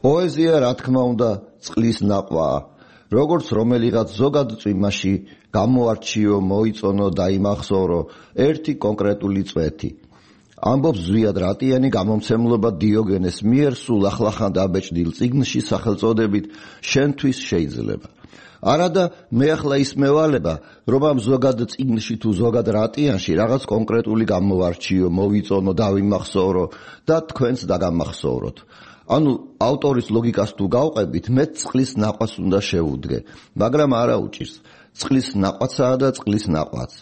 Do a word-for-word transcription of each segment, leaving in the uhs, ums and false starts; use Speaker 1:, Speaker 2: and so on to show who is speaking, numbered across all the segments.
Speaker 1: პოეზია, რა თქმა უნდა, წყლის ნაყვაა. როგორც რომელიღაც ზოგად წვიმაში გამოარჩიო, მოიწონო და იმახსოვრო ერთი კონკრეტული წვეთი. ამბობს ზვიად რატიანი გამომცემლობა დიოგენეს მიერ სულ ახლახან დაბეჭდილ წიგნში სახელწოდებით შენთვის შეიძლება. არადა მე ახლა ის მევალება, რომ ამ ზოგად წიგნში თუ ზოგად რატიანში რაღაც კონკრეტული გამოვარჩიო, მოვიწონო, დავიმახსოვრო და თქვენც დაგამახსოვროთ. ანუ ავტორის ლოგიკას თუ გავყებით, მე წყლის ნაყვას უნდა შევუდგე, მაგრამ არა უჭირს. წყლის ნაყვაცაა და წყლის ნაყვაც.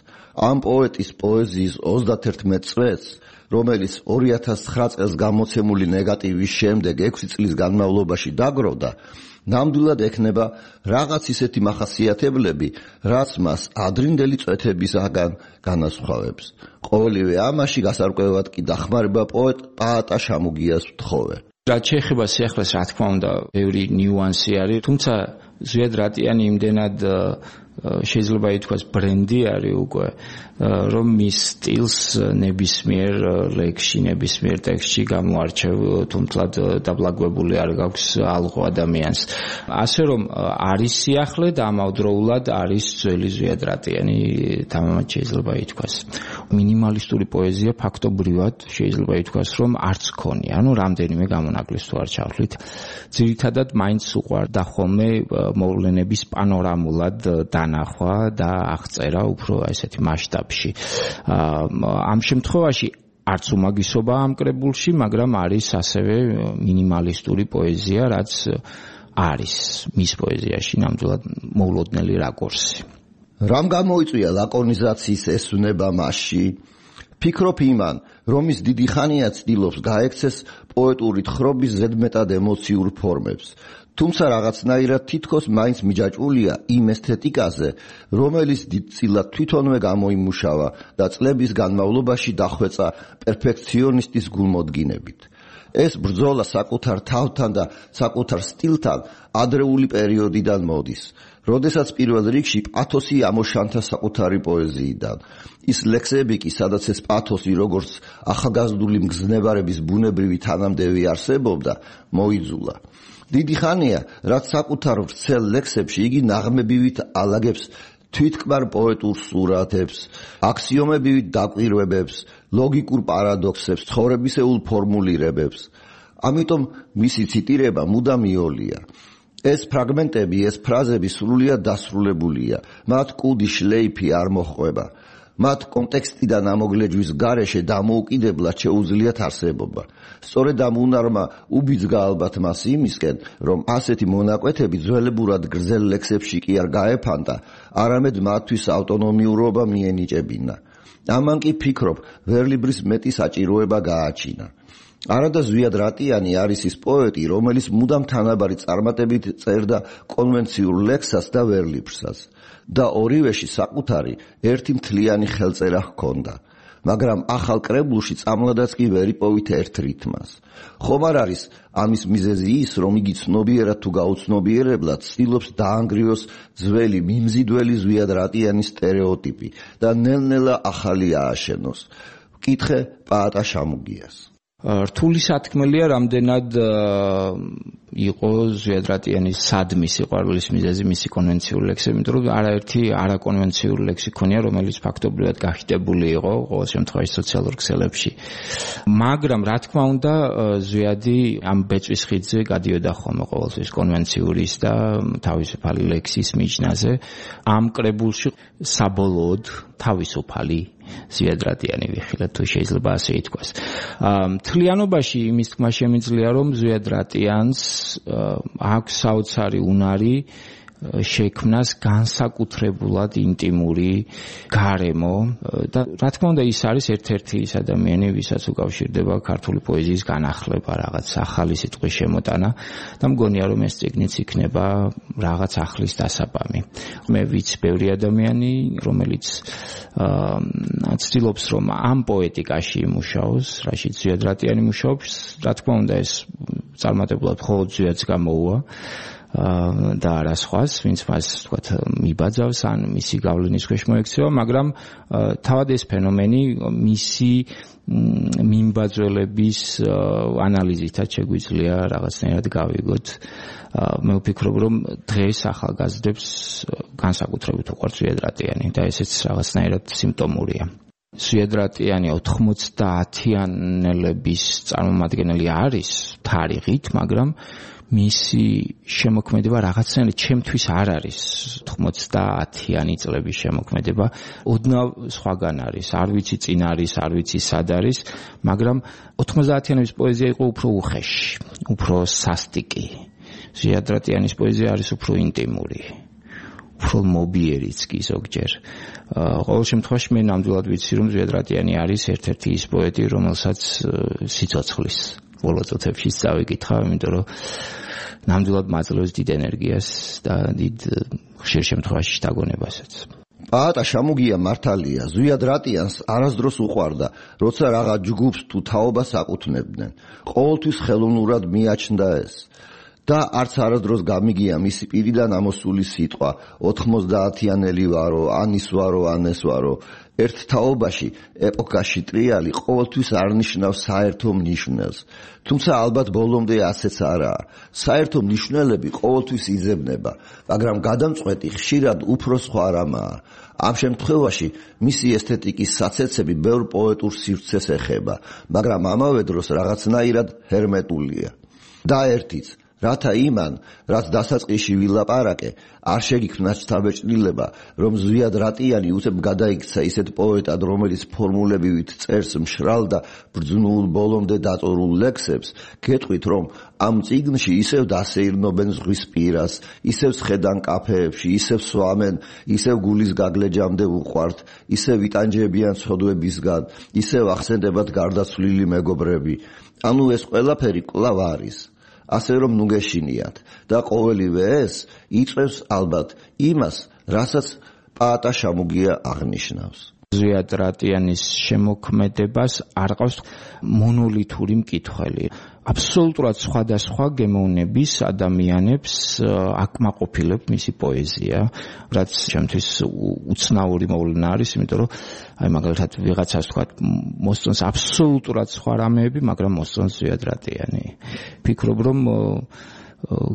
Speaker 1: ამ პოეტის პოეზიის ოცდაათერთმეტ წვეთს, რომელიც ორი ათას ცხრა წელს გამოცემული ნეგატივის შემდეგ ექვსი წლის განმავლობაში დაგროვდა, ნამდვილად ექნება რაღაც ისეთი მახასიათებლები, რაც მას ადრინდელი წვეთებისაგან განასხვავებს. ყოველივე ამაში გასარკვევად კი დახმარება პოეტ პაატა შამუგიას ვთხოვე.
Speaker 2: რაც შეეხება სიახლეს, რა თქმა უნდა, ბევრი ნიუანსი არის, თუმცა ზვიად რატიანი იმდენად შეიძლება ითქვას ბრენდი არის უკვე, რომ მის სტილს ნებისმიერ ლექსში, ნებისმიერ ტექსტში გამოარჩევ, თუმთლად დაბლაგვებული არ გაქვს ალღო ადამიანს. ასე რომ არის სიახლე და ამავდროულად არის ძველი ზვიად რატიანი, თამამად შეიძლება ითქვას. მინიმალისტური პოეზია ფაქტობრივად შეიძლება ითქვას, რომ არც ქონია, ანუ რამდენიმე გამონაკლისს თუ არ ჩავთვლით. ძირითადად მაინც უყვარდა ხოლმე მოვლენების პანორამულად დანახვა და აღწერა უფრო ესეთი მასშტაბში. ამ შემთხვევაში არც უმაგისობა ამ კრებულში, მაგრამ არის ასევე მინიმალისტური პოეზია, რაც არის მის პოეზიაში ნამდვილად მოულოდნელი რაკურსი.
Speaker 1: რამ გამოიწვია ლაკონიზაციის ესვნება მასში? ფიქრობ იმან, რომ ის დიდი ხანია ცდილობს გაექცეს პოეტური თხრობის ზედმეტად ემოციურ ფორმებს. თუმცა რაღაცნაირად თითქოს მაინც მიჯაჭვულია იმ ესთეტიკაზე, რომელიც დიდწილად თვითონვე გამოიმუშავა და წლების განმავლობაში დახვეწა პერფექციონისტის გულმოდგინებით. ეს ბრძოლა საკუთარ თავთან და საკუთარ სტილთან ადრეული პერიოდიდან მოდის, როდესაც პირველ რიგში პათოსი ამოშანთა საკუთარი პოეზიიდან. ის ლექსები კი, სადაც ეს პათოსი როგორც ახალგაზრდული მგზნებარების ბუნებრივი თანამდევი არსებობდა, მოიძულა. დიდი ხანია, რაც საკუთარ ვრცელ ლექსებში იგი ნაღმებივით ალაგებს თვითკმარ პოეტურ სურათებს, აქსიომებივით დაკვირვებებს, ლოგიკურ პარადოქსებს, ცხოვრებისეულ ფორმულირებებს. ამიტომ მისი ციტირება მუდამ იოლია. ეს ფრაგმენტები, ეს ფრაზები სრულიად დასრულებულია, მათ კუდი შლეიფი არ მოჰყვება. მათ კონტექსტიდან ამოგლეჯვის გარეშე დამოუკიდებლად შეუძლიათ არსებობა. სწორედ ამ უნარმა უბიძგა ალბათ მას იმისკენ, რომ ასეთი მონაკვეთები ძველებურად გრძელ ლექსებში კი არ გაეფანტა, არამედ მათთვის ავტონომიურობა მიენიჭებინა. ამან კი ფიქრობ, ვერლიბრის მეტი საჭიროება გააჩინა. არადა ზვიად რატიანი არის ის პოეტი, რომელიც მუდამ თანაბარი წარმატებით წერდა კონვენციურ ლექსას და ვერლიბრსაც. და ორივეში საკუთარი ერთი მთლიანი ხელწერა ჰქონდა, მაგრამ ახალ კრებულში წამლადაც კი ვერ იპოვით ერთ რითმას. ხომ არ არის ამის მიზეზი ის, რომ იგი ცნობიერად თუ გაუცნობიერებლად ცდილობს დაანგრიოს ძველი მიმზიდველი ზვიად რატიანის სტერეოტიპი და ნელ-ნელა ახალი ააშენოს? ვკითხე პაატა შამუგიას.
Speaker 2: რთული სათქმელია, რამდენად იყო ზვიად რატიანის სადმის სიყვარულის მიზეზი მისი კონვენციური ლექსები, იმიტომ რომ არაერთი არაკონვენციური ლექსი ქონია, რომელიც ფაქტობრივად გახიდებული იყო ყოველ შემთხვევაში სოციალურ ქსელებში. მაგრამ რა თქმა უნდა, ზვიადი ამ ბეწვის ხიდზე გადიოდა ხოლმე ყოველთვის კონვენციური და თავისუფალი ლექსის მიჯნაზე. ამ კრებულში საბოლოოდ თავისუფალი ზვიად რატიანი ვიხილეთ, თუ შეიძლება ასე ითქვას. მთლიანობაში იმის თქმა შემიძლია, რომ ზვიად რატიანს აქვს საოცარი უნარი შექმნას განსაკუთრებულად ინტიმური გარემო და რა თქმა უნდა ის არის ერთ-ერთი ის ადამიანი, ვისაც უკავშირდება ქართული პოეზიის განახლება, რაღაც ახალი სიტყვის შემოტანა და მგონია რომ ეს წიგნიც იქნება რაღაც ახლის დასაბამი. მე ვიცი ბევრი ადამიანი, რომელიც ცდილობს რომ ამ პოეტიკაში იმუშაოს, რაშიც ზვიად რატიანი მუშაობს, რა თქმა უნდა ეს წარმატებულად მხოლოდ ზვიადს გამოუვა. და არა სხვას, ვინც მას თქვათ მიბაძავს ან მისი გავლენის ქვეშ მოექცევა, მაგრამ თავად ეს ფენომენი მისი მიმბაძველების ანალიზითაც შეგვიძლია რაღაცნაირად გავიგოთ. მე ვფიქრობ, რომ დღეს ახალგაზრდებს განსაკუთრებით უყვართ ზვიადრატიანი და ესეც რაღაცნაირად სიმპტომურია. ზვიადრატიანი ოთხმოცდაათიანელების წარმომადგენელი არის თარიღით, მაგრამ მისი შემოქმედება რაღაცნაირად ჩემთვის არ არის ოთხმოცდაათიანი წლების შემოქმედება, ოდნავ სხვაგან არის, არ ვიცი წინ არის, არ ვიცი სად არის, მაგრამ ოთხმოცდაათიანების პოეზია იყო უფრო უხეში, უფრო სასტიკი. ზვიადრატიანის პოეზია არის უფრო ინტიმური, უფრო მობიერიც კი ზოგჯერ. ყოველ შემთხვევაში მე ნამდვილად ვიცი, რომ ზვიადრატიანი არის ერთ-ერთი ის პოეტი, რომელსაც სიცოცხლის ბოლო წუთებში წავიკითხა, იმიტომ რომ ნამდვილად მაძლევს დიდ ენერგიას და დიდ ხშირ შემთხვევაში შთაგონებასაც.
Speaker 1: პაატა შამუგია მართალია, ზვიადრატიანს არასდროს უყვარდა, როცა რაღა ჯგუფს თუ თაობას აკუთვნებდნენ. ყოველთვის ხელოვნურად მიაჩნდა ეს. და არც არასდროს გამიგია მისი პირიდან ამოსული სიტყვა ოთხმოცდაათიანელი ვარო, ან ის ვარო, ან ეს ვარო. ერთ თაობაში, ეპოქაში ტრიალი ყოველთვის არნიშნავს საერთო მნიშვნელს. თუმცა ალბათ ბოლომდე ასეც არაა. საერთო მნიშვნელები ყოველთვის იძებნება, მაგრამ გადამწყვეტი ხშირად უფრო სხვა რამაა. ამ შემთხვევაში მისი ესთეტიკის საცეცები ბევრ პოეტურ სივრცეს ეხება, მაგრამ ამავე დროს რაღაცნაირად ჰერმეტულია. და ერთიც რათა იმან, რაც დასაწყისში ვილაპარაკე, არ შეგიქმნა შთაბეჭდილება, რომ ზვიადრატიანი უცებ გადაიქცა ისეთ პოეტად, რომელიც ფორმულებივით წერს მშრალ და ბრძნულ ბოლომდე დაწორულ ლექსებს, გეტყვით, რომ ამ წიგნში ისევ დასეირნობენ ზღვის პირას, ისევ სხედან კაფეებში, ისევ სვამენ, ისევ გულის გაგლეჯამდე უყვართ, ისევ იტანჯებიან ცოდვებისგან, ისევ ახსენდებათ გარდაცვლილი მეგობრები. ანუ ეს ყველაფერი კვლავ არის. ასე რომ ნუ გეშინიათ და ყოველივე ეს იწევს ალბათ იმას, რასაც პაატა შამუგია აღნიშნავს.
Speaker 2: ზვიადრატიანის შემოქმედებას არ ყავს მონოლითური მკითხველი. აბსოლუტურად სხვადასხვა გემოვნების ადამიანებს აკმაყოფილებს მისი პოეზია, რაც ჩემთვის უცნაური მოვლენა არის, იმიტომ რომ აი მაგალითად ვიღაცას თქვა მოსწონს აბსოლუტურად სხვა რამეები, მაგრამ მოსწონს ზვიადრატიანი. ფიქრობ, რომ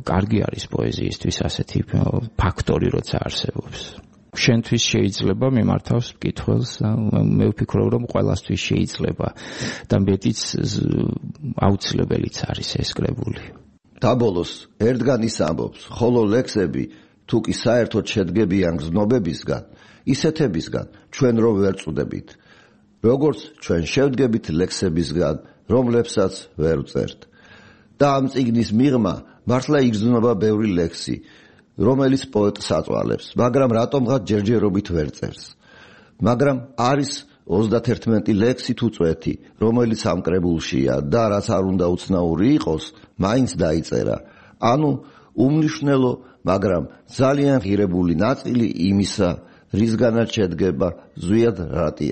Speaker 2: კარგი არის პოეზიისთვის ასეთი ფაქტორი, როცა არსებობს. შენთვის შეიძლება მიმართავს მკითხველს, მე ვფიქრობ, რომ ყველასთვის შეიძლება და მეტიც აუცილებელიც არის ეს კრებული.
Speaker 1: დაბოლოს ერთგან ის ამბობს, ხოლო ლექსები თუ კი საერთოდ შედგებიან გზნობებისგან, ისეთებისგან ჩვენ რო ვერ წვდებით, როგორც ჩვენ შევდგებით ლექსებისგან, რომლებსაც ვერ ვწერთ. და ამ წიგნის მიღმა მართლა იგრძნობა ბევრი ლექსი, რომელიც პოეტს აწვალებს, მაგრამ რატომღაც ჯერჯერობით ვერ წერს. მაგრამ არის ოცდაათერთმეტი ლექსი თუ წვეთი, რომელიც ამ კრებულშია და რაც არ უნდა უცნაური იყოს, მაინც დაიწერა. ანუ უმნიშვნელო, მაგრამ ძალიან ღირებული ნაწილი იმისა, რისგანაც შედგება ზვიადრატიანი.